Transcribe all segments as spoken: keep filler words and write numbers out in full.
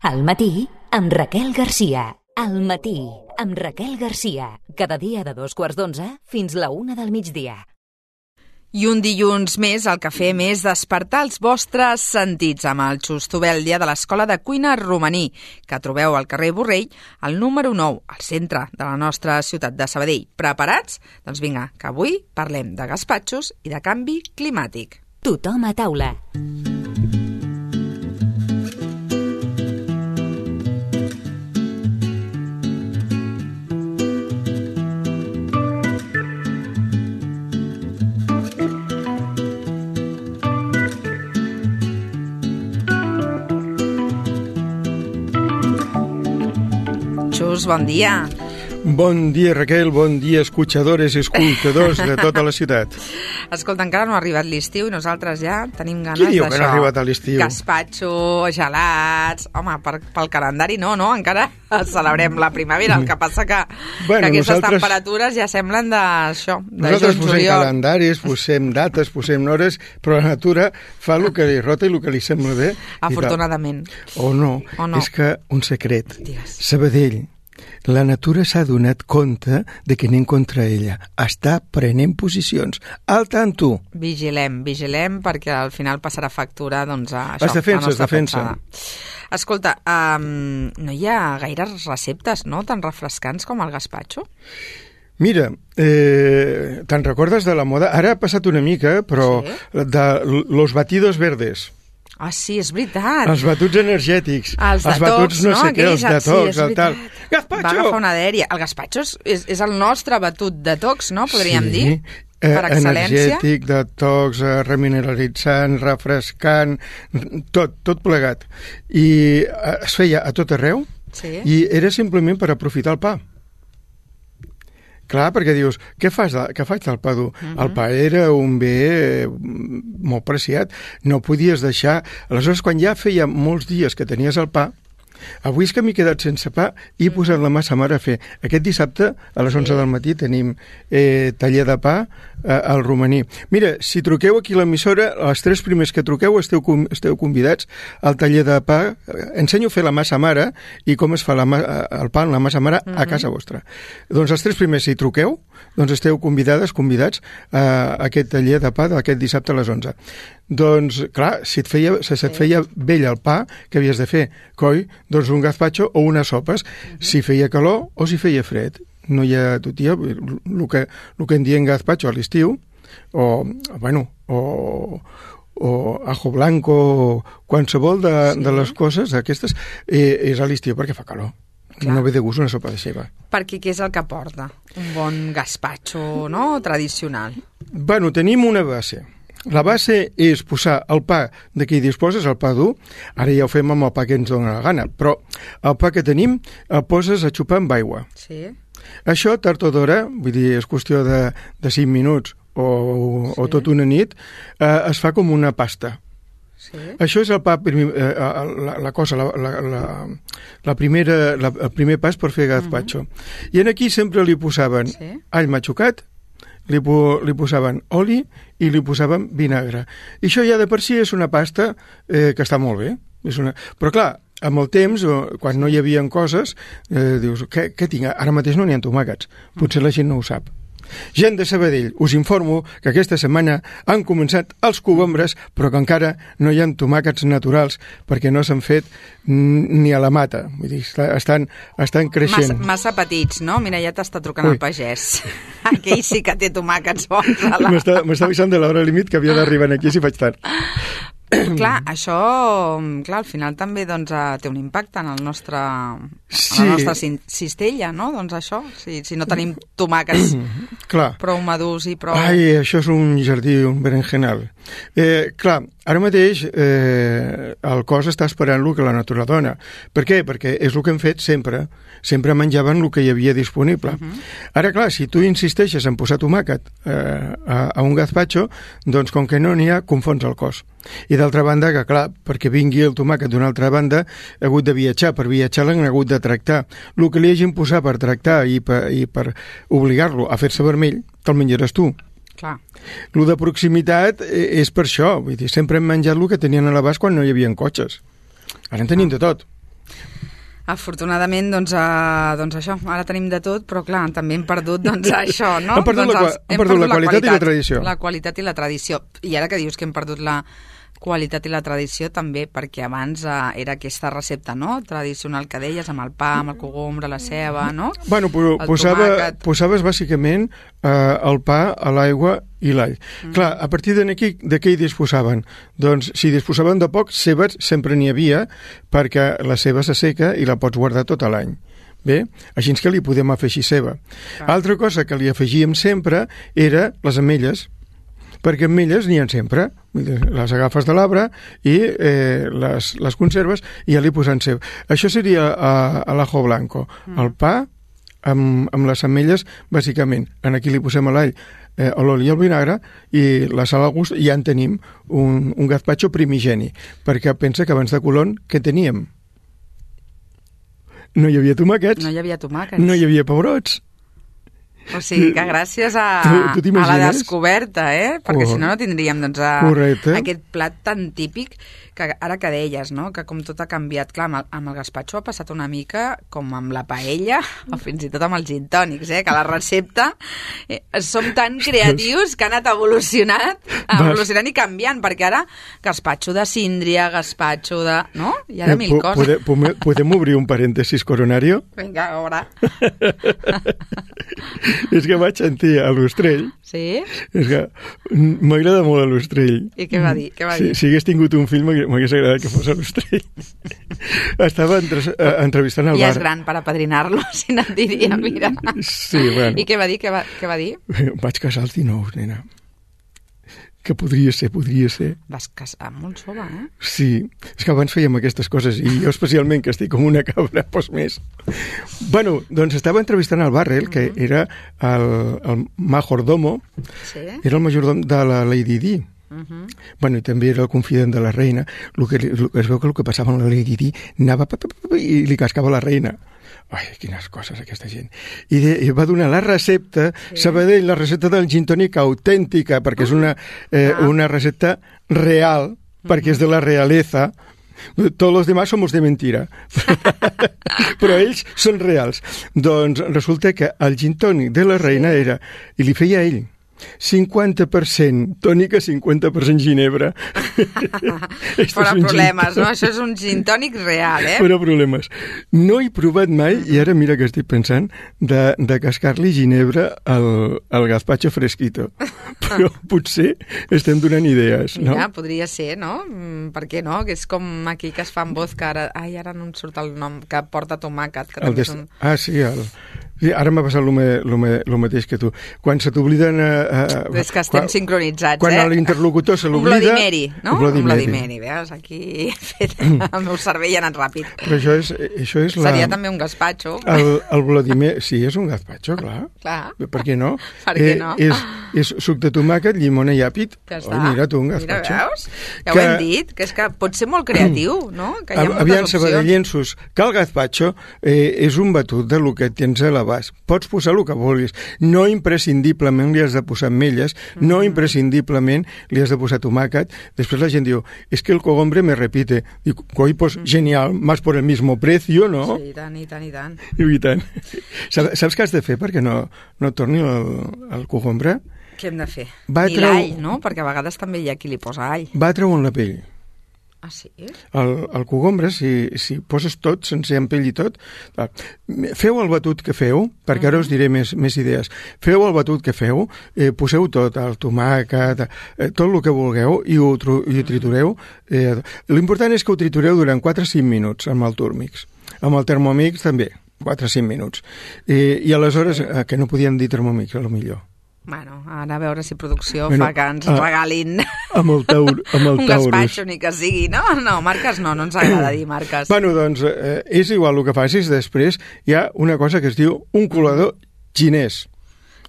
Al matí, amb Raquel Garcia. Al matí, amb Raquel Garcia. Cada dia de dos quarts d'onze fins la una del migdia. I un dilluns més el que fem és despertar els vostres sentits amb el Xustovel, dia de l'Escola de Cuina Romaní, que trobeu al carrer Borrell, al número nou, al centre de la nostra ciutat de Sabadell. Preparats? Doncs vinga, que avui parlem de gaspatxos i de canvi climàtic. Tothom a taula. Xus, bon dia. Bon dia, Raquel, bon dia, escuchadores i escoltadors de tota la ciutat. Escolta, encara no ha arribat l'estiu i nosaltres ja tenim ganes d'això. Qui diu d'això? que no ha arribat a l'estiu? Gaspatxo, gelats... Home, per, pel calendari no, no? Encara celebrem la primavera, el que passa que, bueno, que aquestes nosaltres... temperatures ja semblen d'això, de nosaltres juny, posem juliol. calendaris, posem dates, posem hores, però la natura fa el que li rota i el que li sembla bé. Afortunadament. O no, o no, és que un secret. Digues. Sabadell, la natura s'ha donat compte de que anem contra ella. Està prenent posicions. Al tanto. Vigilem, vigilem, perquè al final passarà factura, doncs, a això. Es defensa, es defensa. Pensada. Escolta, um, no hi ha gaires receptes, no?, tan refrescants com el gaspatxo? Mira, eh, te'n recordes de la moda? Ara ha passat una mica, però sí? de los batidos verdes. Ah, sí, és veritat. Els batuts energètics. Els, els batuts no, no sé què, els detox, sí, el tal. Gaspatxo! Va agafar una dèria. El gaspatxo és, és el nostre batut detox, no? Podríem sí. dir, per eh, excel·lència. Energètic, detox, eh, remineralitzant, refrescant, tot, tot plegat. I eh, es feia a tot arreu, sí. I era simplement per aprofitar el pa. Clar, perquè dius, què fas de, què faig del pa dur? Uh-huh. El pa era un bé molt preciat, no podies deixar... Aleshores, quan ja feia molts dies que tenies el pa, avui és que m'he quedat sense pa i he posat la massa mare a fer. Aquest dissabte, a les onze del matí, tenim eh, taller de pa eh, al Romaní. Mira, si truqueu aquí a l'emissora, els tres primers que truqueu esteu, esteu convidats al taller de pa. Ensenyo a fer la massa mare i com es fa la, el pa en la massa mare a casa vostra. Doncs els tres primers, si truqueu, doncs esteu convidades, convidats a aquest taller de pa d'aquest dissabte a les onze. Doncs, clar, si et feia, si et feia vell el pa, què havies de fer? Coi, doncs un gazpacho o unes sopes, uh-huh. si feia calor o si feia fred. No hi ha, tu, tia, el que, el que en diem gazpacho a l'estiu, o, bueno, o, o ajo blanco, o qualsevol de, sí. de les coses aquestes, eh, és a l'estiu perquè fa calor. Clar. No ve de gust una sopa de ceba. Perquè què és el que porta? Un bon gazpacho, no?, tradicional. Bueno, tenim una base. La base és posar el pa de què hi disposes, el pa dur. Ara ja ho fem amb el pa que ens dona la gana, però el pa que tenim el poses a xupar amb aigua. Sí. Això, tard o d'hora, vull dir, és qüestió de, de cinc minuts o, sí. o tot una nit, eh, es fa com una pasta. Sí. Això és el pa, eh, la, la cosa, la, la, la, la primera, la, el primer pas per fer gazpacho. Uh-huh. I en aquí sempre li posaven sí. all matxucat, Li, po, li posaven oli i li posaven vinagre. I això ja de per si és una pasta eh, que està molt bé. És una... Però clar, amb el temps, o, quan no hi havia coses, eh, dius, què, què tinc? Ara mateix no n'hi ha tomàquets. Potser la gent no ho sap. Gent de Sabadell, us informo que aquesta setmana han començat els cogombres, però que encara no hi ha tomàquets naturals perquè no s'han fet ni a la mata. Vull dir, estan, estan creixent. Massa, massa petits, no? Mira, ja t'està trucant Ui. el pagès. Aquell sí que té tomàquets bons. La... M'està avisant de l'hora límit que havia d'arribar aquí si faig tard. Clar, això, clar, al final també doncs, té un impacte en el nostre, sí. en la nostra cistella, no? Doncs això, si, si no tenim tomàquets clar. prou madurs i prou... Ai, això és un jardí, un berenjenal. Eh, clar, ara mateix eh, el cos està esperant el que la natura dona. Per què? Perquè és el que hem fet sempre. Sempre menjaven el que hi havia disponible. Uh-huh. Ara, clar, si tu insisteixes en posar tomàquet eh, a, a un gazpacho, doncs com que no n'hi ha, confons el cos. I d'altra banda, que clar, perquè vingui el tomàquet d'una altra banda, ha hagut de viatjar. Per viatjar l'han hagut de tractar. El que li hagin posat per tractar i per, i per obligar-lo a fer-se vermell, te'l menjaràs tu. Clar. Lo de proximitat és per això. Vull dir, sempre hem menjat el que tenien a l'abast quan no hi havia cotxes. Ara en tenim de tot. Afortunadament, doncs, uh, doncs això, ara tenim de tot, però clar, també hem perdut doncs, això, no? Hem perdut, doncs, la, els, hem perdut, perdut la, qualitat la qualitat i la tradició. La qualitat i la tradició. I ara que dius que hem perdut la qualitat i la tradició també, perquè abans uh, era aquesta recepta, no?, tradicional que deies, amb el pa, amb el cogombre, la ceba, no? Bueno, posava, posaves bàsicament uh, el pa a l'aigua i l'all. Mm. Clar, a partir d'aquí, de què hi disposaven? Doncs, si disposaven de poc, cebes sempre n'hi havia, perquè la ceba s'asseca i la pots guardar tot l'any. Bé, així que li podem afegir ceba. Ah. Altra cosa que li afegíem sempre era les ametlles, perquè ametlles n'hi ha sempre, les agafes de l'arbre i eh, les, les conserves i ja li posen ceba. Això seria a, a l'ajo blanco, mm. el pa amb, amb les ametlles, bàsicament. Aquí li posem l'all, eh, l'oli i el vinagre i la sal al gust, i ja en tenim un, un gazpacho primigeni, perquè pensa que abans de Colón, què teníem? No hi havia tomàquets, no hi havia tomàquets, no hi havia pebrots. O sigui que gràcies a, tu, tu a la descoberta, eh? Perquè oh, si no no tindríem doncs, a, aquest plat tan típic que ara que deies, no?, que com tot ha canviat. Clar, amb el, amb el gazpacho ha passat una mica com amb la paella o fins i tot amb els gin tònics, eh? Que la recepta eh, som tan creatius que ha anat evolucionant, evolucionant i canviant, perquè ara gazpacho de síndria, gazpacho de... no? Hi ha de mil eh, coses. Podem, podem obrir un parèntesis coronario? Vinga, a veure. És que vaig sentir a l'Ostrell. Sí? És que m'agrada molt a l'Ostrell. I què va dir? Què va dir? Si, si hagués tingut un fill m'hagués agradat que fos a l'Ostrell. Estava entre, uh, entrevistant al bar. Ja és gran per apadrinar-lo, si no et diria, mira. Sí, bueno. I què va dir? Què va, què va dir? Vaig casar als dinou, nena. Que podria ser, podria ser. Vas casar molt jove, eh? Sí, és que abans fèiem aquestes coses i jo especialment, que estic com una cabra, doncs més. Bueno, doncs estava entrevistant al Barrel, que uh-huh. era el, el majordomo, sí? Era el majordom de la Lady Di. Uh-huh. Bueno, i també era el confident de la reina. El que, el, es veu que el que passava amb la Lady Di anava pa, pa, pa, pa, i li cascava la reina. Ai, quines coses, aquesta gent. I, de, i va donar la recepta, sí. Sabadell, la recepta del gin tònic autèntica, perquè és una, eh, ah. una recepta real, uh-huh. perquè és de la realeza. Tots els demás somos de mentira. Però ells són reals. Doncs resulta que el gin tònic de la reina sí. era, i li feia ell, cinquanta per cent tònica, cinquanta per cent ginebra. Fora problemes, no? Això és un gin tònic real, eh? Fora problemes. No he provat mai, i ara mira que estic pensant, de, de cascar-li ginebra al, al gazpacho fresquito. Però potser estem donant idees, no? Mira, podria ser, no? Per què no? Que és com aquí que es fa amb vodka, ara, ai, ara no em surt el nom, que porta tomàquet. Que el des... un... Ah, sí, el... Sí, ara m'ha passat el mateix que tu. Quan se t'obliden... Eh, és que estem quan, sincronitzats, quan eh? Quan l'interlocutor se l'oblida... Un Bloody Mary, no? Un Bloody, un Bloody Mary. Mary, veus? Aquí fet, el meu cervell ha anat ràpid. Però això és, això és la... Seria també un gazpacho. El, el Bloody Mary, sí, és un gazpacho, clar. Clar. Per què no? Per què no? Eh, és, és suc de tomàquet, llimona i àpid. Ja està. Oi, mira tu, un gazpacho. Mira, veus? Ja que... ho hem dit, que és que pot ser molt creatiu, no? Que hi ha moltes Aviam, opcions. sabadellensos, que el gazpacho eh, és un batut de lo que tens a l'abast. Pots posar el que vulguis. No imprescindiblement li has de posar ametlles, mm-hmm. no imprescindiblement li has de posar tomàquet. Després la gent diu, es que el cogombre me repite. Dic, coi, pues mm-hmm. genial, más por el mismo precio, ¿no? Sí, i tant, i tant, i tant. I tant. Saps, saps què has de fer perquè no, no torni el, el cogombre? Què hem de fer? Va Ni treu... l'all, no? Perquè a vegades també hi ha qui li posa all. Va treure la pell. Ah, sí? El, el cogombre, si, si poses tot, sense en pell i tot, feu el batut que feu, perquè ara us diré més, més idees, feu el batut que feu, eh, poseu tot, el tomàquet, eh, tot el que vulgueu, i ho, i ho tritureu. Eh, l'important és que ho tritureu durant quatre a cinc minuts amb el Turmix. Amb el Thermomix també, quatre a cinc minuts. Eh, I aleshores, eh, que no podíem dir Thermomix, a lo millor. Bueno, ara a veure si producció bueno, fa que ens a, regalin amb el taur, amb el un gazpacho, ni que sigui. No, no, marques no, no ens agrada dir marques. Bueno, doncs eh, és igual el que facis, després hi ha una cosa que es diu un colador xinès.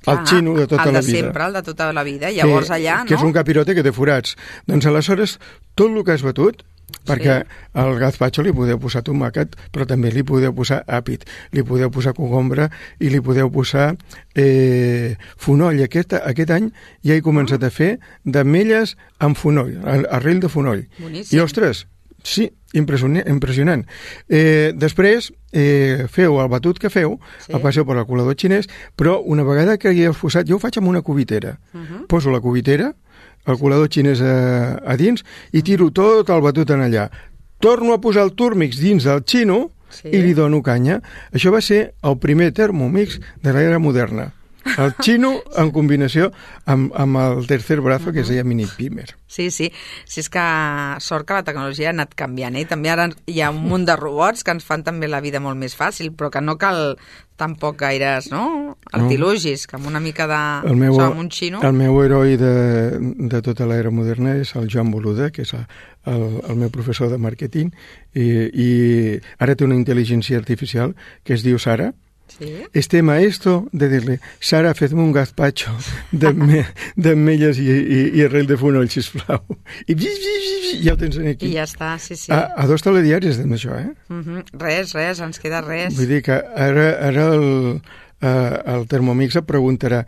El xino de tota la vida. El de sempre, el de tota la vida. Llavors allà, no? Que és un capirote que té forats. Doncs aleshores, tot el que has batut, perquè sí. al gazpacho li podeu posar tomàquet, però també li podeu posar àpid, li podeu posar cogombre i li podeu posar eh, fonoll. Aquest, aquest any ja he començat a fer d'ametlles amb fonoll, arrel de fonoll. Boníssim. I, ostres, sí, impressionant. Eh, després, eh, feu el batut que feu, sí. el passeu per el colador xinès, però una vegada que hagueu posat, jo ho faig amb una cubitera. Uh -huh. Poso la cubitera, el colador xinès a, a dins, i tiro tot el batut en allà. Torno a posar el Turmix dins del xino sí. i li dono canya. Això va ser el primer Thermomix de l'era moderna. El xino en combinació amb, amb el tercer brazo, uh -huh. que es deia Mini Pimer. Sí, sí. Si és que sort que la tecnologia ha anat canviant, eh? També ara hi ha un munt de robots que ens fan també la vida molt més fàcil, però que no cal tampoc gaires, no? Artilugis, no. que amb una mica de... El meu, o amb un xino... El meu heroi de, de tota l'era moderna és el Joan Boluda, que és el, el, el meu professor de màrqueting, i, i ara té una intel·ligència artificial que es diu Sara. Sí. Este maestro de dir-li Sara, fes-me un gazpacho d'ametlles i, i, i arrel de fonoll, sisplau. I ja ho tens aquí. I ja està, sí, sí. A, a dos telediaris amb això, eh? Uh -huh. Res, res, ens queda res. Vull dir que ara, ara el, uh, el Thermomix et preguntarà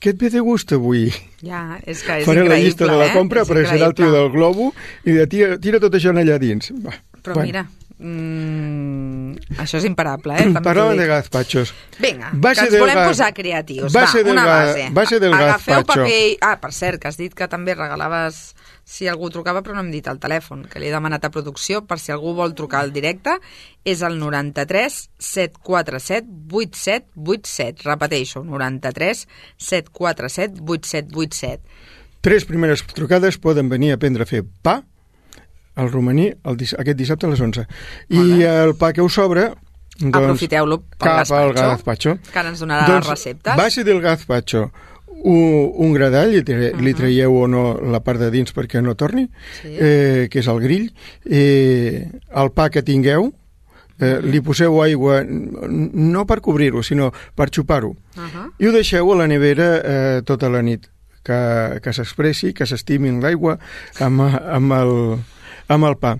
què et ve de gust avui? Ja, és que és Faré increïble, la llista de la compra, eh? apareixerà el tio del globo i de tira, tira tot això allà dins. Va, Però bueno. mira... Mm, això és imparable, eh? Parlàvem de gazpachos. Vinga, que ens volem ga... posar creatius. Base Va, una base. Base del Agafeu gazpacho. paper... Ah, per cert, que has dit que també regalaves si algú trucava, però no hem dit el telèfon, que li he demanat a producció per si algú vol trucar al directe. És el noranta-tres set quatre set vuit set vuit set. Repeteixo, noranta-tres set quatre set vuit set vuit set. Tres primeres trucades poden venir a aprendre a fer pa al romaní el, aquest dissabte a les onze. I el pa que us sobra, doncs, aprofiteu-lo pel cap al gazpacho. Que ara ens donarà doncs, les receptes. Base del gazpacho, un, un gradall, li, tre, uh -huh. li traieu o no la part de dins perquè no torni, sí. eh, que és el grill, eh, el pa que tingueu, eh, li poseu aigua, no per cobrir-ho, sinó per xupar-ho, uh -huh. i ho deixeu a la nevera eh, tota la nit, que, que s'expressi, que s'estimin l'aigua amb, amb el... amb el pa.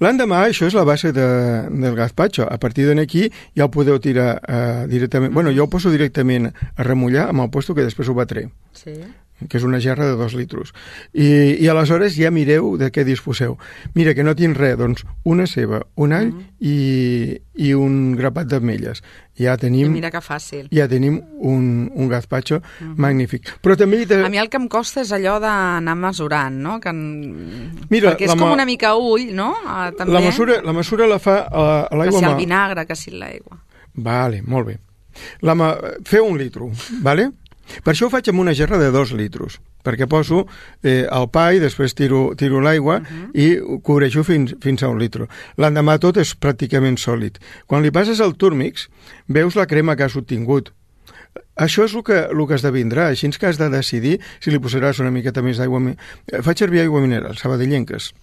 L'endemà, això és la base de, del gazpacho. A partir d'aquí ja ho podeu tirar uh, directament... Bueno, jo ho poso directament a remullar amb el puesto que després ho batré. Sí. Que és una gerra de dos litros. I, i aleshores ja mireu de què disposeu. Mira, que no tinc res, doncs una ceba, un all uh -huh. i, i un grapat d'ametlles. Ja tenim... I mira que fàcil. Ja tenim un, un gazpacho uh -huh. magnífic. Però també... De... A mi el que em costa és allò d'anar mesurant, no? Que en... Mira, perquè és com una mica ull, no? Uh, també. La mesura, la mesura la fa a, a l'aigua... Que si el vinagre, que si l'aigua. Vale, molt bé. La ma... Feu un litro, vale? Per això ho faig amb una gerra de dos litros, perquè poso eh, el pa i després tiro, tiro l'aigua uh -huh. i cobreixo fins, fins a un litro. L'endemà tot és pràcticament sòlid. Quan li passes el Turmix, veus la crema que has obtingut. Això és el que, el que esdevindrà, així que has de decidir si li posaràs una miqueta més d'aigua. Faig servir aigua mineral, sabadellenques.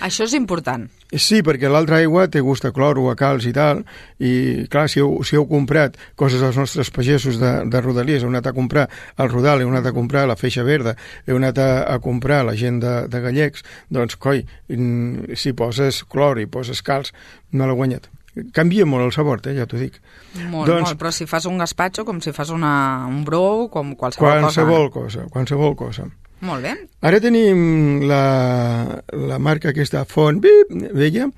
Això és important. Sí, perquè l'altra aigua té gust a clor o a calç i tal, i clar, si heu, si heu comprat coses dels nostres pagesos de, de Rodalies, heu anat a comprar el Rodal, heu anat a comprar la Feixa Verda, heu anat a, a comprar la gent de, de Gallecs, doncs, coi, si poses clor i poses calç, no l'ha guanyat. Canvia molt el sabor, eh, ja t'ho dic. Molt, doncs, molt, però si fas un gazpacho, com si fas una, un brou, com qualsevol, qualsevol cosa. cosa. Qualsevol cosa. Molt bé. Ara tenim la, la marca aquesta Font, bip, veia?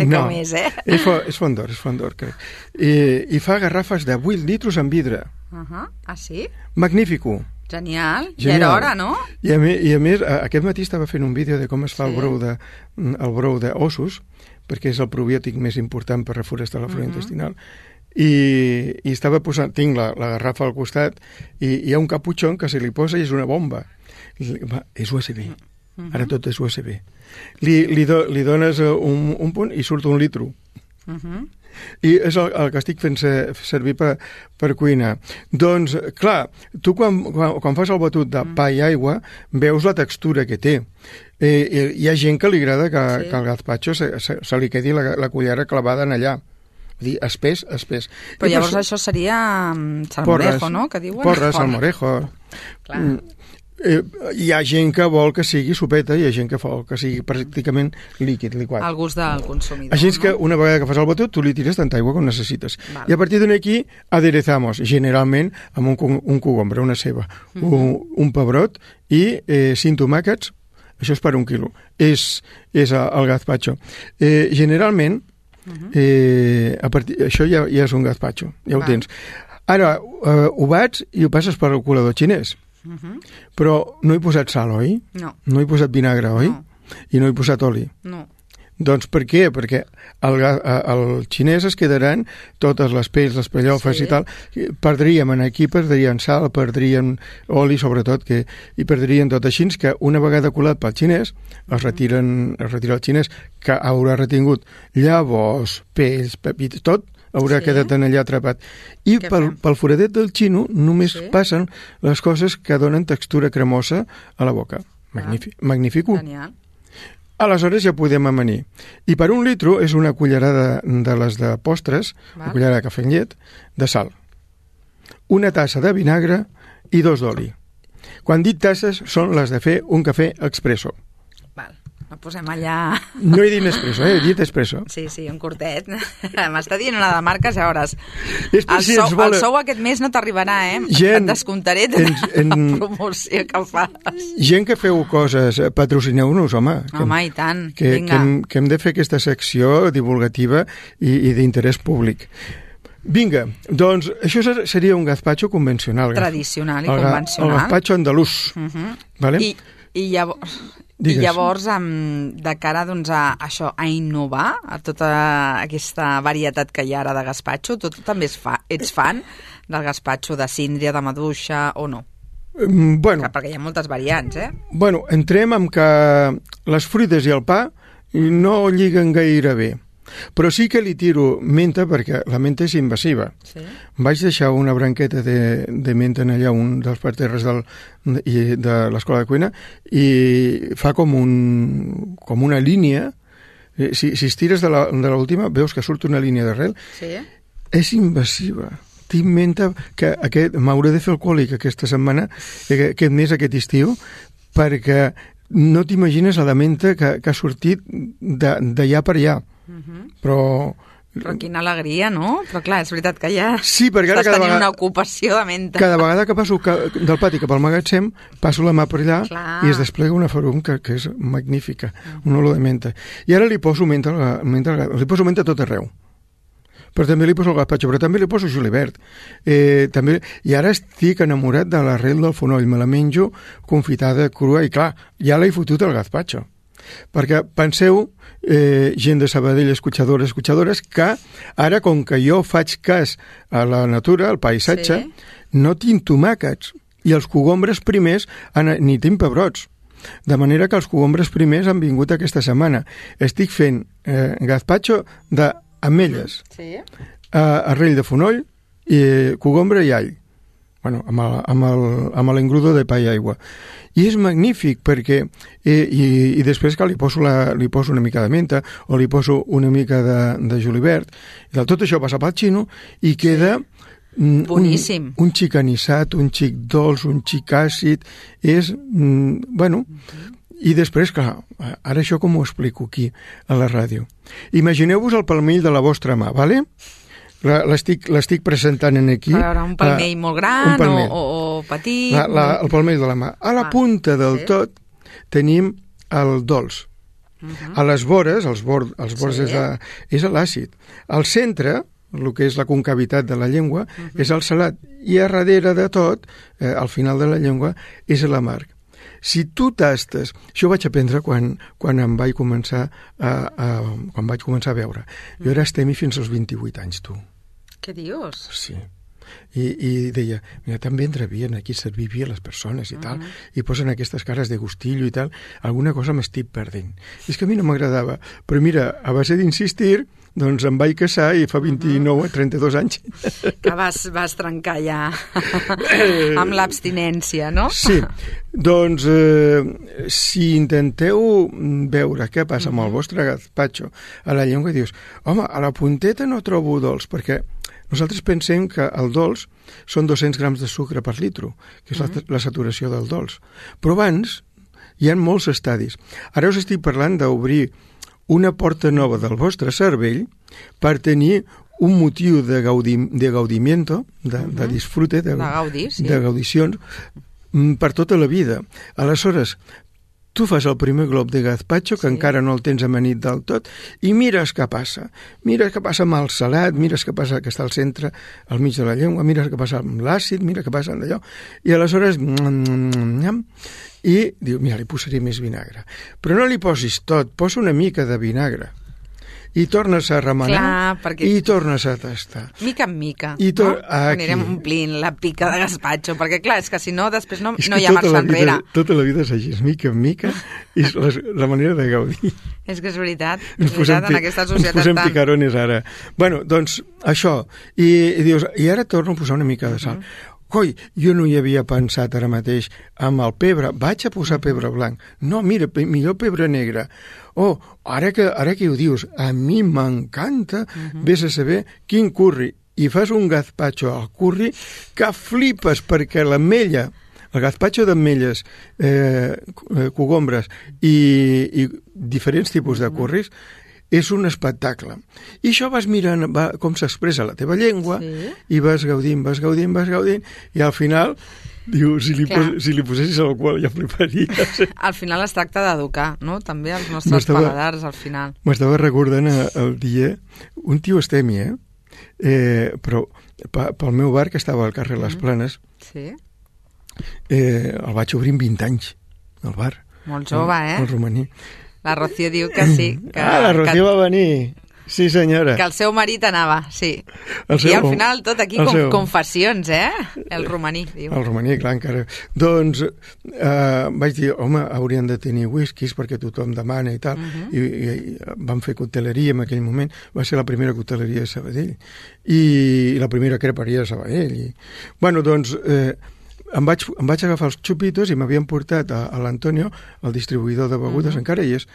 No, com és, eh? És, és Fondor, és Fondor, crec. I, i fa garrafes de vuit litros en vidre. Uh -huh. Ah, sí? Magnífico. Genial. Ja era hora, no? I a, més, I a més, aquest matí estava fent un vídeo de com es fa sí. el brou de, el brou d'ossos, perquè és el probiòtic més important per reforestar la flora uh -huh. intestinal. I, i estava posant, tinc la, la garrafa al costat i hi ha un caputxon que se li posa i és una bomba. Va, és U S B. Uh-huh. Ara tot és U S B. Li, li, do, li dones un, un punt i surt un litro. Uh-huh. I és el, el que estic fent servir per, per cuinar. Doncs, clar, tu quan, quan, quan fas el batut de pa i aigua veus la textura que té. Eh, hi ha gent que li agrada que, sí. que el gazpacho se, se, se li quedi la, la cullera clavada en allà. Vull dir, espès, espès. Però I llavors per... això seria um, salmorejo, porres, no? Que diuen? Porres, salmorejo. Clar. Mm, eh, hi ha gent que vol que sigui sopeta i hi ha gent que vol que sigui pràcticament líquid, liquat. Al gust del consumidor. Així és no? que una vegada que fas el batut, tu li tires tanta aigua com necessites. Vale. I a partir d'aquí aderezamos, generalment amb un, un cogombre, una ceba, mm -hmm. un, un pebrot i eh, cinc tomàquets això és per un quilo, és, és el gazpacho. Eh, generalment, uh-huh. eh, a partir, això ja, ja és un gazpacho, ja Va. ho tens. Ara, eh, ho bats i ho passes per el colador xinès, uh-huh. però no he posat sal, oi? No. No he posat vinagre, oi? No. I no he posat oli? No. Doncs per què? Perquè el, el xinès es quedaran totes les pells, les pellofes sí. i tal. Perdríem aquí, perdrien sal, perdrien oli, sobretot, que, i perdrien tot així, que una vegada colat pel xinès, es retiren, es retira el xinès, que haurà retingut llavors, pells, pepits, tot haurà sí. quedat en allà atrapat. I pel, pel foradet del xino només sí. passen les coses que donen textura cremosa a la boca. Magnífic. Ah. Magnífico. Genial. Aleshores ja podem amanir. I per un litro és una cullerada de les de postres, una cullerada de cafè amb llet, de sal. Una tassa de vinagre i dos d'oli. Quan dic tasses, són les de fer un cafè expresso. Val, no posem allà... No he dit espresso, eh? He dit espresso. Sí, sí, un curtet. M'està dient una de marques, ja veuràs. És per el, si sou, ens volen... el sou aquest mes no t'arribarà, eh? Gent, et descomptaré de en, en... la promoció que fas. Gent que feu coses, patrocineu-nos, home. Home, i tant, que, vinga. Que hem, que hem de fer aquesta secció divulgativa i, i d'interès públic. Vinga, doncs això seria un gazpacho convencional. Tradicional i el, convencional. El gazpacho andalús. Uh-huh. Vale? I, i llavors... Digues. I llavors, um, de cara doncs, a això, a innovar, a tota aquesta varietat que hi ha ara de gazpacho, tu també fa, ets fan del gazpacho de síndria, de maduixa o no? Mm, bueno, que, perquè hi ha moltes variants, eh? Bueno, entrem amb que les fruites i el pa no lliguen gaire bé. Però sí que li tiro menta perquè la menta és invasiva. Sí. Vaig deixar una branqueta de, de menta en allà, un dels parterres del, de, de l'escola de cuina, i fa com, un, com una línia. Si, si estires de l'última, veus que surt una línia d'arrel. Sí. És invasiva. Tinc menta que aquest, m'hauré de fer alcohòlic aquesta setmana, aquest mes, aquest estiu, perquè no t'imagines la menta que, que ha sortit d'allà per allà. Uh-huh. Però... Però quina alegria, no? Però clar, és veritat que ja sí, perquè estàs cada tenint vegada, una ocupació de menta. Cada vegada que passo que, del pati cap al magatzem, passo la mà per allà clar. I es desplega una farum que, que és magnífica, uh-huh. un olor de menta. I ara li poso menta, menta, li poso menta a tot arreu. Però també li poso el gazpacho, però també li poso julivert. Eh, també, I ara estic enamorat de l'arrel del fonoll, me la menjo confitada, crua, i clar, ja l'he fotut al gazpacho. Perquè penseu, eh, gent de Sabadell, escuchadores, escuchadores, que ara, com que jo faig cas a la natura, al paisatge, sí. no tinc tomàquets, i els cogombres primers han, ni tinc pebrots. De manera que els cogombres primers han vingut aquesta setmana. Estic fent eh, gazpacho d'ametlles, sí. eh, arrell de fonoll, i cogombre i all. Bueno, amb, el, amb, el, amb l'engrudo de pa i aigua. I és magnífic perquè eh, i, i després que li poso, la, li poso una mica de menta o li poso una mica de, de julivert, i tot això passa pel xino i queda mm, boníssim. Un, un xic anissat, un xic dolç, un xic àcid, és, mm, bueno, uh-huh. I després, clar, ara això com ho explico aquí a la ràdio? Imagineu-vos el palmell de la vostra mà, vale? L'estic, l'estic presentant en aquí. A veure, un palmell la, molt gran palmell. O, o, o petit. La, la, el palmell de la mà. A la ah, punta del sí. tot tenim el dolç. Uh-huh. A les vores, els bord, els bords sí. és, la, és l'àcid. Al centre, el que és la concavitat de la llengua, uh-huh. és el salat. I a darrere de tot, eh, al final de la llengua, és l'amarg. Si tu tastes... Això ho vaig aprendre quan, quan em vaig començar a, a, quan vaig començar a veure. Jo era estemi fins als vint-i-vuit anys, tu. Què dius? Sí. I, i deia, mira, també entravien aquí, servir bé a les persones i uh-huh. tal, i posen aquestes cares de gustillo i tal, alguna cosa m'estic perdent. És que a mi no m'agradava, però mira, a base d'insistir, doncs em vaig casar i fa vint-i-nou, uh-huh. trenta-dos anys. Que vas, vas trencar ja amb l'abstinència, no? Sí, doncs eh, si intenteu veure què passa amb el vostre gazpacho a la llengua, dius, home, a la punteta no trobo dolç, perquè nosaltres pensem que el dolç són dos-cents grams de sucre per litro, que és mm-hmm. la, la saturació del dolç. Però abans hi ha molts estadis. Ara us estic parlant d'obrir una porta nova del vostre cervell per tenir un motiu de, gaudi, de gaudimiento, de, mm-hmm. de disfrute, de, de, gaudi, sí. de gaudicions, per tota la vida. Aleshores, tu fas el primer glob de gazpacho, que sí. encara no el tens amanit del tot, i mires què passa. Mires què passa amb el salat, mires què passa que està al centre, al mig de la llengua, mires què passa amb l'àcid, mira què passa amb allò, i aleshores... I diu, mira, li posaré més vinagre. Però no li posis tot, posa una mica de vinagre. I tornes a remenar. Clar, perquè... i tornes a tastar. Mica en mica, I to... no? Anirem omplint la pica de gazpacho, perquè clar, és que si no, després no, no hi ha marxa enrere. Tota la vida és així, mica en mica, i és la, la manera de gaudir. És que és veritat, és veritat, en aquesta societat ens posem tan... picarones ara. Bueno, doncs, això. I, i dius, i ara torno a posar una mica de sal. Uh-huh. Coi, jo no hi havia pensat ara mateix amb el pebre, vaig a posar pebre blanc. No, mira, millor pebre negre. Oh, ara que, ara que ho dius, a mi m'encanta, uh-huh. vés a saber quin curri. I fas un gazpacho al curri que flipes, perquè l'ametlla, el gazpacho d'ametlles, eh, cogombres i, i diferents tipus de curris, és un espectacle. I això vas mirant va, com s'expressa la teva llengua, sí. i vas gaudint, vas gaudint, vas gaudint, i al final, diu, si li, pos, si li posessis alcohol ja fliparies. Al final es tracta d'educar, no?, també els nostres paladars, al final. M'estava recordant el dia, un tio estemi, eh? eh però pel meu bar, que estava al carrer Les Planes, sí. eh, el vaig obrir amb vint anys, el bar. Molt jove, eh? El romaní. La Rocío diu que sí. Que, ah, la Rocío que, va venir. Sí, senyora. Que el seu marit anava, sí. El seu, I al final tot aquí com, seu... confessions, eh? El romaní, diu. El romaní, clar, encara. Doncs eh, vaig dir, home, haurien de tenir whiskies perquè tothom demana i tal. Uh-huh. I, i, i vam fer coteleria en aquell moment. Va ser la primera coteleria de Sabadell. I, i la primera creperia de Sabadell. I, bueno, doncs... Eh, Em vaig, em vaig agafar els xupitos i m'havien portat a, a l'Antonio, el distribuïdor de begudes, uh-huh. encara hi és,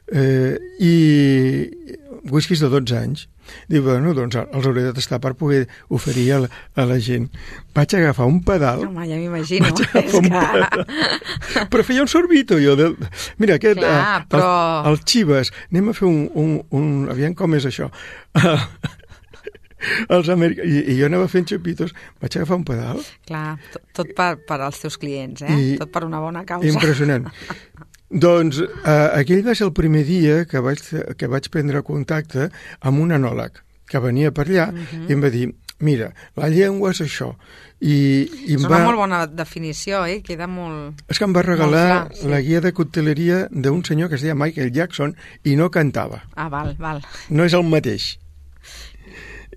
eh, i whiskies de dotze anys. Diu, bueno, doncs els hauré de tastar per poder oferir a la, a la gent. Vaig agafar un pedal... Home, ja m'imagino. Vaig agafar un pedal. Però feia un sorbito, jo. De... Mira, aquest... Clar, eh, però... el, el Chivas, anem a fer un... un, un... Aviam com és això. Els americ... I, i jo anava fent xupitos, vaig agafar un pedal. Clar, tot, tot per, per als teus clients, eh? I... Tot per una bona causa. Impressionant. Doncs eh, aquell va ser el primer dia que vaig, que vaig prendre contacte amb un enòleg que venia per allà uh-huh. i em va dir, mira, la llengua és això. I, i és em una va... molt bona definició, eh? Queda molt... És que em va regalar clar, sí. la guia de cocteleria d'un senyor que es deia Michael Jackson i no cantava. Ah, val, val. No és el mateix.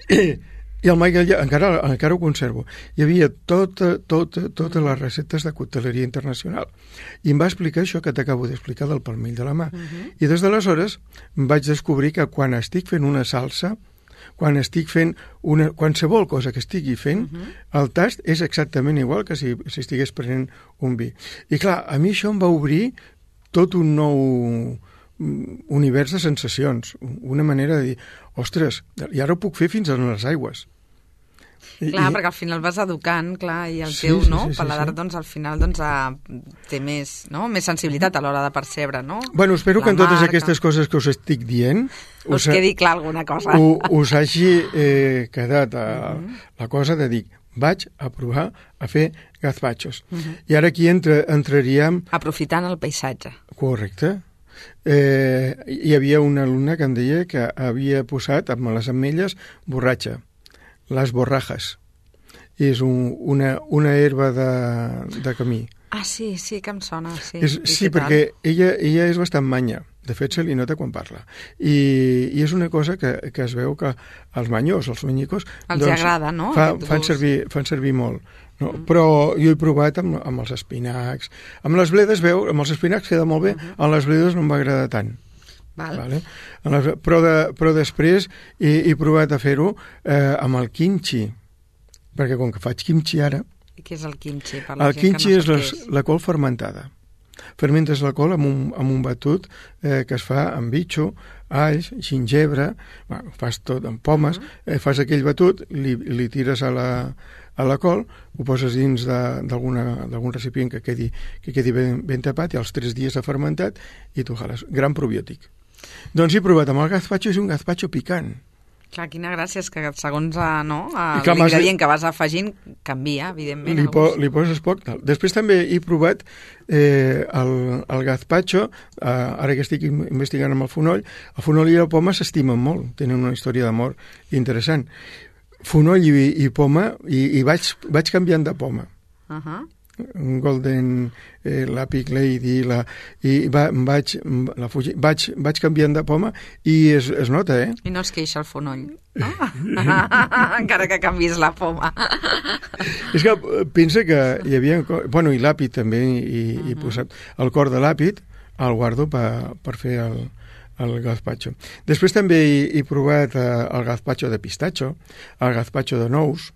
I, i el Michael ja, encara, encara ho conservo. Hi havia tota, tota, totes les receptes de cocteleria internacional. I em va explicar això que t'acabo d'explicar del palmell de la mà. Uh-huh. I des d'aleshores vaig descobrir que quan estic fent una salsa, quan estic fent una, qualsevol cosa que estigui fent, uh-huh. el tast és exactament igual que si, si estigués prenent un vi. I clar, a mi això em va obrir tot un nou univers de sensacions, una manera de dir, ostres, i ara ho puc fer fins a les aigües. Clar, I, perquè al final vas educant, clar, i el sí, teu sí, no, sí, sí, paladar, sí. doncs al final doncs, té més, no? més sensibilitat a l'hora de percebre, no? Bueno, espero la que en totes marca. Aquestes coses que us estic dient us, us quedi clar alguna cosa. U, us hagi eh, quedat a, uh-huh. la cosa de dir, vaig a provar a fer gazpachos. Uh-huh. I ara aquí entra, entraríem... Aprofitant el paisatge. Correcte. Eh, hi havia una alumna que em deia que havia posat amb les ametlles borratxa, les borrajes. És un, una, una herba de, de camí. Ah, sí, sí, que em sona. Sí, és, sí perquè ella, ella és bastant manya. De fet, se li nota quan parla. I, i és una cosa que, que es veu que els manyos, els manyicos... Els doncs, agrada, no? Fa, fan, servir, fan servir molt. No? Mm. Però jo he provat amb, amb els espinacs. Amb les bledes, veu, amb els espinacs queda molt bé, uh-huh. amb les bledes no em va agradar tant. Val. Vale? Les, però, de, però després he, he provat a fer-ho eh, amb el kimchi, perquè com que faig kimchi ara... I què és el kimchi? Per la el gent kimchi que no és, les, és la col fermentada. Fermentes la col amb un, amb un batut eh, que es fa amb bitxo, alls, gingebre, bueno, fas tot amb pomes, uh-huh. eh, fas aquell batut, li, li tires a la, a la col, ho poses dins d'algun recipient que quedi, que quedi ben, ben tapat i als tres dies ha fermentat i tu jales. Gran probiòtic. Doncs he provat amb el gazpacho, és un gazpacho picant. Clar, quina gràcia, és que segons no, l'ingredient que vas afegint canvia, evidentment. Li, po, li poses poc. Tal. Després també he provat eh, el, el gazpacho, eh, ara que estic investigant amb el fonoll, el fonoll i la poma s'estimen molt, tenen una història d'amor interessant. Fonoll i, i poma, i, i vaig, vaig canviant de poma. Uh -huh. Un golden eh, la Pig Lady la, i va, vaig, la Fuji, vaig, vaig canviant de poma i es, es nota, eh? I no es queixa el fonoll, no? Encara que canvis la poma. És que pensa que hi havia... Bueno, i l'àpid també, i, uh-huh. i posat el cor de l'àpid el guardo per, per fer el, el gazpacho. Després també he, he provat eh, el gazpacho de pistatxo, el gazpacho de nous,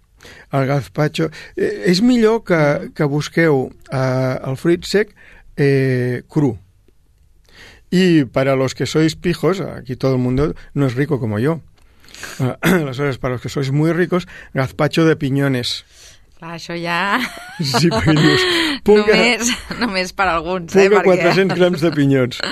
el gazpacho... Eh, és millor que, que busqueu eh, el fruit sec eh, cru. Y para los que sois pijos, aquí todo el mundo no es rico como yo. Uh, aleshores, para los que sois muy ricos, gazpacho de piñones. Clar, això ja... Sí, pinyos. Només, només per alguns, Punga eh? Perquè... quatre-cents grams de pinyons.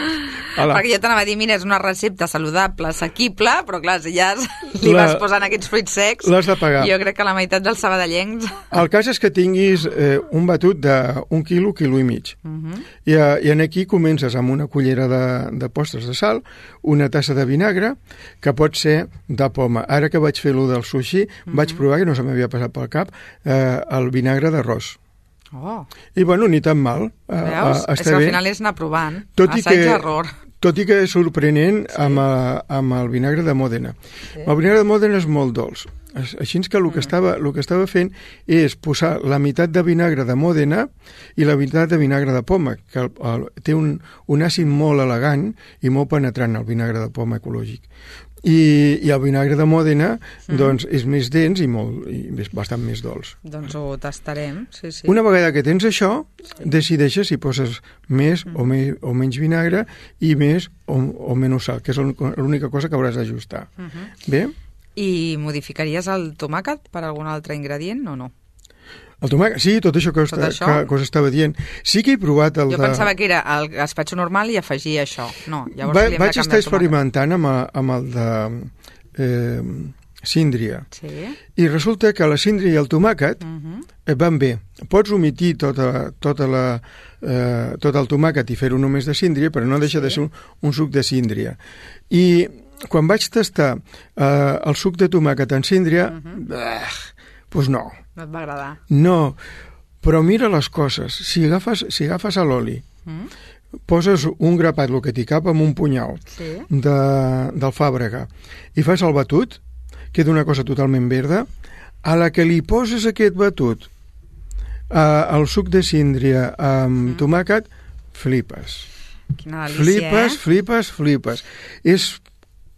Ala. Perquè jo t'anava a dir, mira, és una recepta saludable, assequible, però clar, si ja li la... vas posant aquests fruits secs, l'has de pagar. Jo crec que la meitat dels sabadellencs... El cas és que tinguis eh, un batut d'un quilo, quilo i mig. Uh -huh. I, I en aquí comences amb una cullera de, de postres de sal, una tassa de vinagre, que pot ser de poma. Ara que vaig fer lo del sushi, uh -huh. vaig provar, que no se m'havia passat pel cap, eh, el vinagre d'arròs. Oh. I bueno, ni tan mal. Veus? Uh, és que al final és anar provant. Tot i assaig que, error. Tot i que és sorprenent sí. amb, a, amb el vinagre de Mòdena. Sí. El vinagre de Mòdena és molt dolç. Així que el que, estava, el que estava fent és posar la meitat de vinagre de Mòdena i la meitat de vinagre de poma, que el, el, té un, un àcid molt elegant i molt penetrant, el vinagre de poma ecològic. I, i el vinagre de Mòdena mm. doncs, és més dens i, molt, i bastant més dolç. Doncs ho tastarem, sí, sí. Una vegada que tens això, sí. decideixes si poses més mm. o, me, o menys vinagre i més o, o menys sal, que és l'única cosa que hauràs d'ajustar. Mm -hmm. Bé? I modificaries el tomàquet per algun altre ingredient o no? El tomàquet, sí, tot això que, tot està, això? que, que us estava dient. Sí que he provat el jo de... Jo pensava que era el gazpacho normal i afegia això. No, llavors Va, li hem de vaig canviar estar experimentant amb, a, amb el de eh, síndria. Sí. I resulta que la síndria i el tomàquet uh-huh. van bé. Pots omitir tota, tota la, eh, tot el tomàquet i fer-ho només de síndria, però no deixa sí. de ser un, un suc de síndria. I quan vaig tastar eh, el suc de tomàquet en síndria, uh-huh. doncs no. No et va agradar? No, però mira les coses. Si agafes, si agafes l'oli, mm. poses un grapat, el que t'hi cap, amb un punyal sí. de, d'alfàbrega, i fas el batut, queda una cosa totalment verda, a la que li poses aquest batut, eh, el suc de síndria amb mm. tomàquet, flipes. Quina delícia, flipes, eh? flipes, flipes. És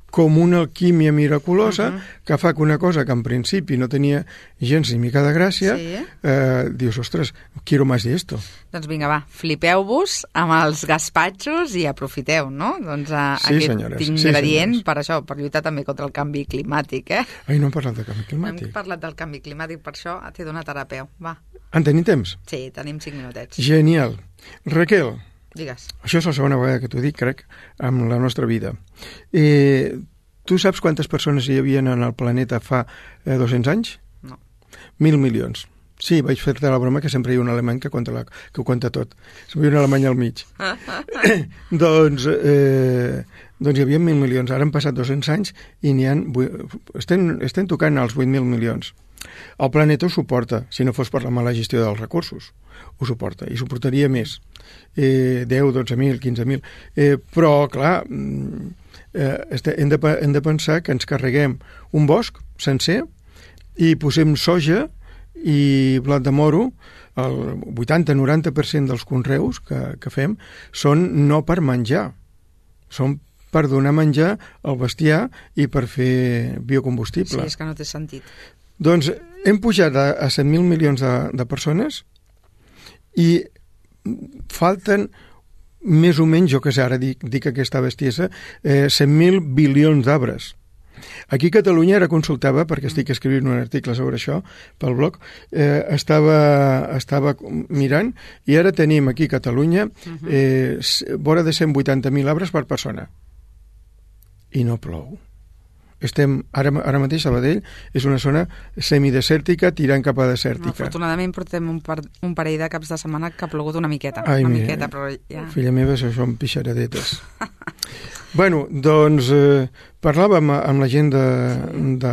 com una alquímia miraculosa uh-huh. que fa que una cosa que en principi no tenia gens ni mica de gràcia, sí. eh, dius, ostres, quiero más de esto. Doncs vinga, va, flipeu-vos amb els gazpachos i aprofiteu, no? Doncs a, sí, aquest senyores, ingredient sí, per això, per lluitar també contra el canvi climàtic, eh? Ai, no hem parlat del canvi climàtic. Hem parlat del canvi climàtic, per això t'he donat ara peu, va. En tenim temps? Sí, tenim cinc minutets. Genial. Raquel, digues. Això és la segona vegada que t'ho dic, crec, amb la nostra vida. Eh, tu saps quantes persones hi havia en el planeta fa eh, dos-cents anys? No. Mil milions. Sí, vaig fer-te la broma que sempre hi ha un alemany que, la, que ho conta tot. Sempre hi ha un alemany al mig. doncs, eh, doncs hi havia mil milions. Ara han passat dos-cents anys i n'hi ha... Estem, estem tocant els vuit mil milions. El planeta ho suporta, si no fos per la mala gestió dels recursos. Ho suporta, i suportaria més. Eh, deu, dotze mil, quinze mil. Eh, però, clar, eh, hem, de, hem de pensar que ens carreguem un bosc sencer i posem soja i blat de moro. El vuitanta a noranta per cent dels conreus que, que fem són no per menjar, són per donar menjar al bestiar i per fer biocombustible. Sí, és que no té sentit. Doncs hem pujat a, a set mil milions de, de persones i falten més o menys, jo que sé, ara dic, dic aquesta bestiesa, eh, cent mil bilions d'arbres. Aquí a Catalunya ara consultava, perquè estic escrivint un article sobre això pel blog, eh, estava, estava mirant i ara tenim aquí a Catalunya eh, vora de cent vuitanta mil arbres per persona. I no plou. estem, ara, ara mateix Sabadell és una zona semidesèrtica tirant cap a desèrtica. Afortunadament portem un, par, un parell de caps de setmana que ha plogut una miqueta. Ai, una mira, miqueta, però ja... Filla meva, això són pixaradetes. Bueno, doncs eh, parlàvem amb la gent de, de,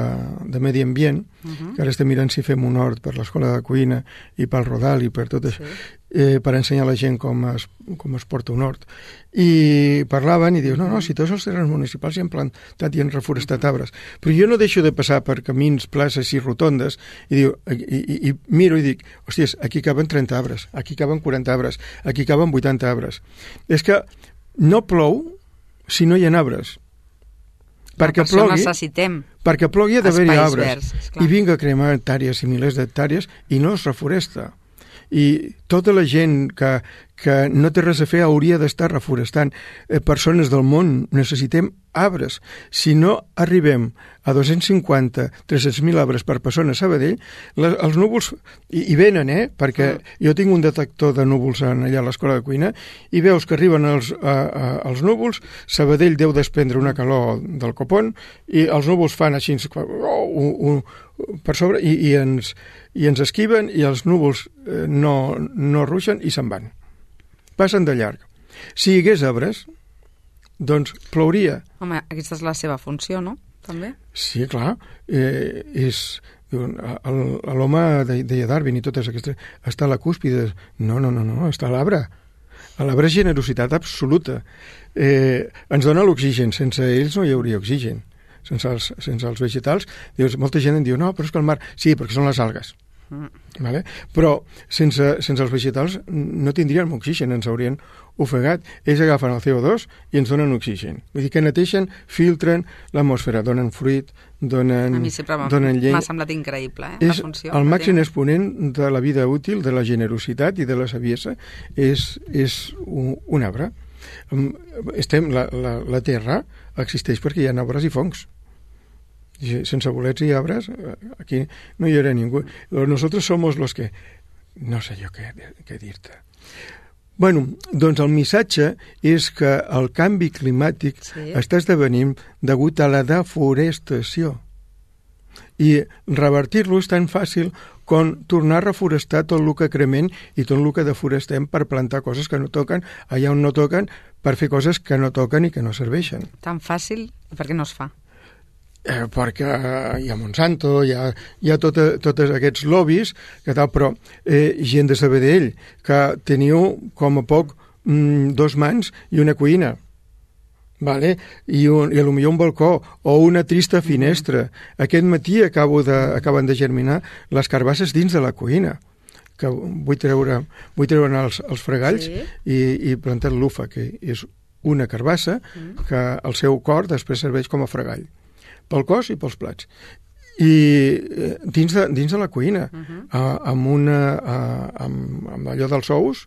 de Medi Ambient, uh -huh. que ara estem mirant si fem un hort per l'escola de cuina i pel Rodal i per tot això, sí. eh, per ensenyar a la gent com es, com es porta un hort. I parlaven i diuen, no, no, si tots els terrenys municipals hi han plantat i han reforestat arbres, però jo no deixo de passar per camins, places i rotondes i, diu, i, i, i miro i dic, hòsties, aquí caben trenta arbres, aquí caben quaranta arbres, aquí caben vuitanta arbres. És que no plou si no hi ha arbres. Perquè per plogui, necessitem perquè plogui ha d'haver-hi arbres. Verds, I vinga a cremar hectàrees i milers d'hectàrees i no es reforesta. I tota la gent que, que no té res a fer hauria d'estar reforestant. Eh, persones del món necessitem arbres. Si no arribem a dos-cents cinquanta a tres-cents mil arbres per persona a Sabadell, la, els núvols, i, i venen, eh? Perquè mm. jo tinc un detector de núvols en, allà a l'escola de cuina, i veus que arriben els, a, a, els núvols, Sabadell deu desprendre una calor del copon, i els núvols fan així oh, un, un, per sobre, i, i, ens, i ens esquiven, i els núvols eh, no, no ruixen i se'n van. Passen de llarg. Si hi hagués arbres, doncs plouria. Home, aquesta és la seva funció, no? També? Sí, clar. Eh, és... L'home deia Darwin i totes aquestes... Està a la cúspide. No, no, no, no, està a l'arbre. A l'arbre és generositat absoluta. Eh, ens dona l'oxigen. Sense ells no hi hauria oxigen. Sense els, sense els vegetals. Dius, molta gent em diu, no, però és que el mar... Sí, perquè són les algues. Mm. Vale? Però sense, sense els vegetals no tindríem oxigen, ens haurien ofegat. Ells agafen el C O dos i ens donen oxigen. Vull dir que neteixen, filtren l'atmosfera, donen fruit, donen, a mi sempre donen llei. M'ha semblat increïble, eh? És la funció, el màxim exponent de la vida útil, de la generositat i de la saviesa és, és un, un arbre. Estem, la, la, la Terra existeix perquè hi ha arbres i fongs. Sense bolets i arbres, aquí no hi haurà ningú. Nosotros somos los que... No sé jo què, què dir-te. Bueno, doncs el missatge és que el canvi climàtic sí. està esdevenint degut a la deforestació. I revertir-lo és tan fàcil com tornar a reforestar tot el que cremem i tot el que deforestem per plantar coses que no toquen, allà on no toquen, per fer coses que no toquen i que no serveixen. Tan fàcil? Per què no es fa? Eh, perquè hi ha Monsanto, hi ha, hi ha tots tot aquests lobbies, que tal, però eh, gent de Sabadell, que teniu com a poc mm, dos mans i una cuina, vale? I, un, i potser un balcó o una trista finestra. Mm-hmm. Aquest matí acabo de, acaben de germinar les carbasses dins de la cuina, que vull treure, vull treure els, els fregalls sí. i, i plantar l'ufa, que és una carbassa mm. que el seu cor després serveix com a fregall pel cos i pels plats. I dins de, dins de la cuina, uh-huh. uh, amb, una, uh, amb, amb allò dels ous,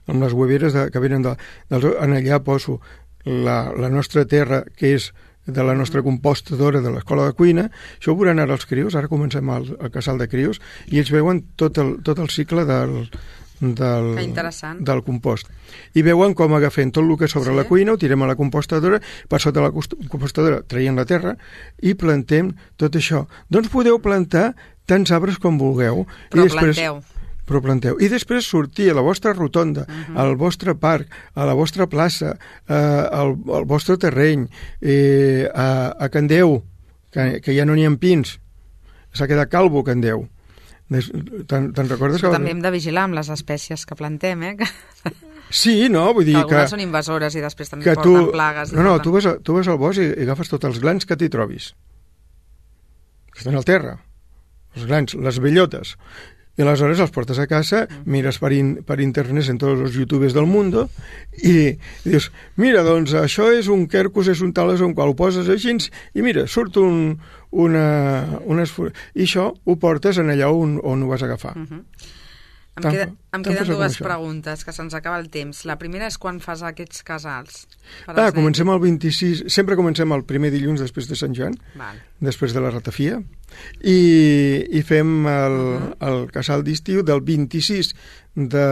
amb les hueveres de, que venen de, dels ous, en allà poso la, la nostra terra, que és de la nostra compostadora de l'escola de cuina. Això ho veuran ara els crios, ara comencem el, el casal de crios, i ells veuen tot el, tot el cicle del... Del, del compost. I veuen com agafem tot el que sobre sí. la cuina, ho tirem a la compostadora, per sota la compostadora traiem la terra i plantem tot això. Doncs podeu plantar tants arbres com vulgueu. Però I després, planteu. Però planteu. I després sortir a la vostra rotonda, uh-huh. al vostre parc, a la vostra plaça, eh, al, al vostre terreny, eh, a, a Can Déu, que, que ja no n'hi ha pins. S'ha quedat calvo Can Déu. Te'n recordes? Que... També hem de vigilar amb les espècies que plantem, eh? Sí, no? Vull dir que... Algunes són invasores i després també porten tu... plagues. No, no, porten... tu, vas, tu vas al bosc i, i agafes tots els glans que t'hi trobis. Que estan al terra. Els glans, les bellotes. I aleshores els portes a casa, mires per, in, per internet en tots els youtubers del món i, i dius, mira, doncs això és un quercus, és un tal, és un qual, ho poses així i mira, surt un, una, una... I això ho portes en allà on, on ho vas agafar. Uh -huh. Em, queda, em queden dues preguntes, que se'ns acaba el temps. La primera és quan fas aquests casals? Ah, comencem el vint-i-sis, sempre comencem el primer dilluns després de Sant Joan, Val. després de la ratafia, i, i fem el, uh-huh. el casal d'estiu del vint-i-sis de,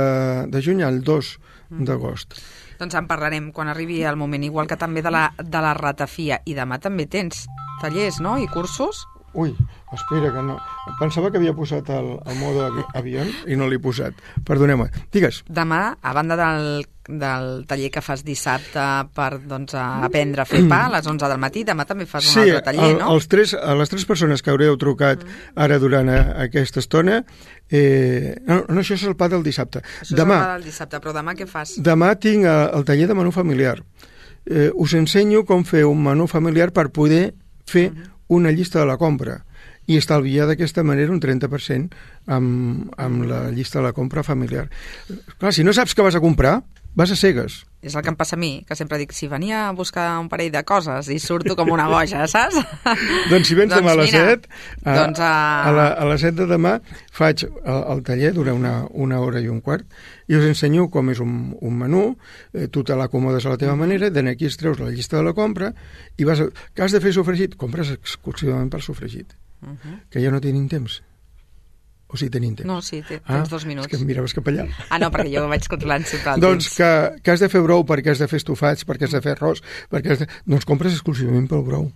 de juny al dos uh-huh. d'agost. Doncs en parlarem quan arribi el moment, igual que també de la, de la ratafia. I demà també tens tallers, no?, i cursos? Ui, espera, que no... Pensava que havia posat el, el mode avi avió i no l'he posat. Perdoneu-me. Digues. Demà, a banda del, del taller que fas dissabte per doncs, aprendre a fer pa a les onze del matí, demà també fas un sí, altre taller, el, no? Sí, tres, les tres persones que haureu trucat mm. ara durant a, aquesta estona... Eh, no, no, això és el pa del dissabte. Això demà, és el pa del dissabte, però demà què fas? Demà tinc el, el taller de menú familiar. Eh, us ensenyo com fer un menú familiar per poder fer mm -hmm. una llista de la compra i estalviar d'aquesta manera un trenta per cent amb, amb la llista de la compra familiar. Clar, si no saps què vas a comprar, vas a cegues. És el que em passa a mi, que sempre dic, si venia a buscar un parell de coses i surto com una boja, saps? Doncs si vens doncs demà a les mira, set, a, doncs a... a, la, a les set de demà faig el, el taller, dura una, una hora i un quart, i us ensenyo com és un, un menú, eh, tu te l'acomodes a la teva manera, de aquí es treus la llista de la compra, i vas a, que has de fer sofregit, compres exclusivament pel sofregit, uh -huh. que ja no tenim temps. O si tenim temps? No, sí, tens ah, dos minuts. És que em miraves cap allà. Ah, no, perquè jo vaig controlant sempre el doncs temps. que, que has de fer brou perquè has de fer estofats, perquè has de fer arròs, perquè has de... doncs compres exclusivament pel brou.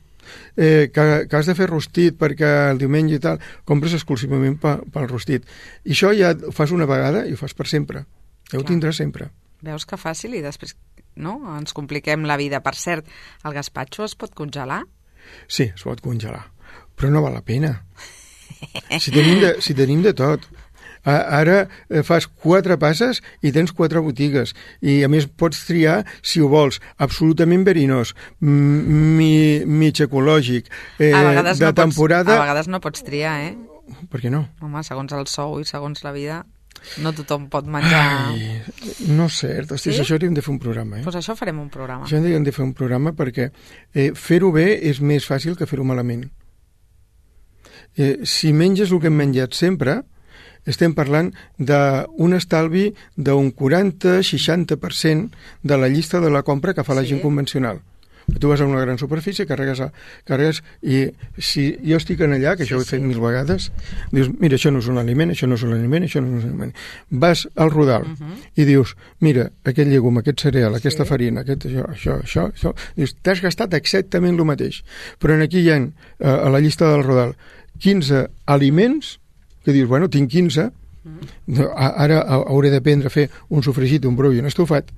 Eh, que, que has de fer rostit perquè el diumenge i tal, compres exclusivament pel, pel rostit. I això ja ho fas una vegada i ho fas per sempre. Ja Clar. Ho tindràs sempre. Veus que fàcil i després no? Ens compliquem la vida. Per cert, el gaspatxo es pot congelar? Sí, es pot congelar, però no val la pena. Si tenim de, si tenim de tot. Ara fas quatre passes i tens quatre botigues i a més pots triar, si ho vols, absolutament verinós, mi, mig ecològic, eh, de no temporada... Pots, a vegades no pots triar, eh? Per què no? Home, segons el sou i segons la vida, no tothom pot menjar... Ai, no és cert, hosti, sí? Això hauríem de fer un programa, eh? Doncs això farem un programa. Això hauríem de fer un programa perquè eh, fer-ho bé és més fàcil que fer-ho malament. Eh, si menges el que hem menjat sempre, estem parlant d'un estalvi d'un quaranta a seixanta per cent de la llista de la compra que fa la sí. gent convencional. Tu vas a una gran superfície, carregues, a, carregues i si jo estic en allà, que això sí, ho he fet sí. mil vegades, dius, mira, això no és un aliment, això no és un aliment, això no és un aliment. Vas al Rodal uh -huh. i dius, mira, aquest llegum, aquest cereal, sí. aquesta farina, aquest, això, això, això, això, dius, t'has gastat exactament el mateix. Però aquí hi ha, a la llista del Rodal, quinze aliments que dius, bueno, tinc quinze, mm. ara hauré d'aprendre a fer un sofregit, un brou i un estofat,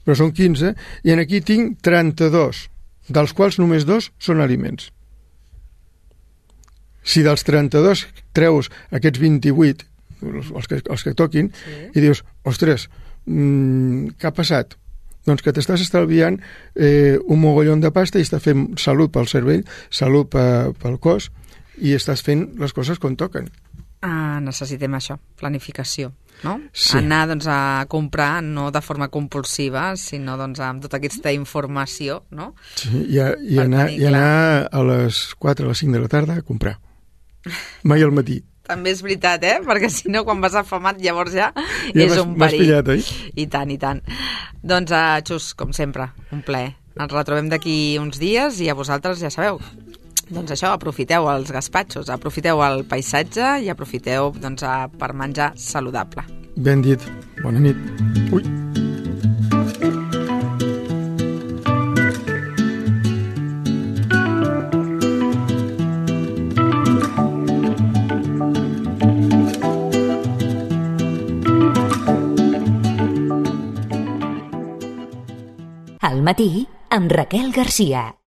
però són quinze, i aquí tinc trenta-dos, dels quals només dos són aliments. Si dels trenta-dos treus aquests vint-i-vuit, els que, els que toquin, sí. i dius, ostres, mmm, què ha passat? Doncs que t'estàs estalviant eh, un mogollon de pasta i estàs fent salut pel cervell, salut pe, pel cos, i estàs fent les coses com toquen. Ah, necessitem això, planificació, no? Sí. Anar doncs, a comprar no de forma compulsiva, sinó doncs, amb tota aquesta informació, no? Sí, i, a, i, anar, i anar a les quatre, a les cinc de la tarda a comprar. Mai al matí. També és veritat, eh? Perquè si no, quan vas afamat, llavors ja, ja és un perill. Pillat, oi? I tant, i tant. Doncs, uh, Xus, com sempre, un plaer. Ens retrobem d'aquí uns dies i a vosaltres ja sabeu. Doncs això, aprofiteu els gaspatxos, aprofiteu el paisatge i aprofiteu doncs, per menjar saludable. Ben dit. Bona nit. Ui. Al matí, amb Raquel Garcia.